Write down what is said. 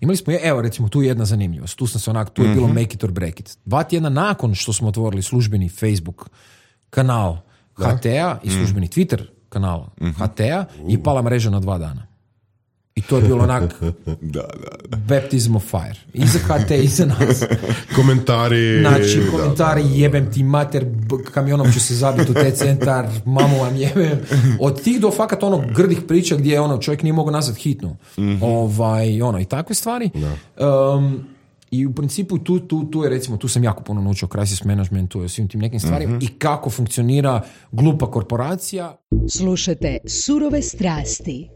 Imali smo, evo recimo, tu je jedna zanimljivost. Tu sam se tu je bilo make it or break it. 2 tjedna nakon što smo otvorili službeni Facebook kanal HT-a i službeni Twitter kanal HT-a je pala mreža na 2 dana. I to je bilo onak baptism of fire. I za HT, i za nas. Komentari. Znači, komentari, jebem ti mater, kamionom ću se zabiti u centar, mamu vam jebem. Od tih do fakat grdih priča gdje čovjek nije mogao nazvat hitnu. I takve stvari. I u principu tu je recimo, tu sam jako puno naučio o crisis managementu i svim tim nekim stvarima i kako funkcionira glupa korporacija. Slušajte Surove strasti.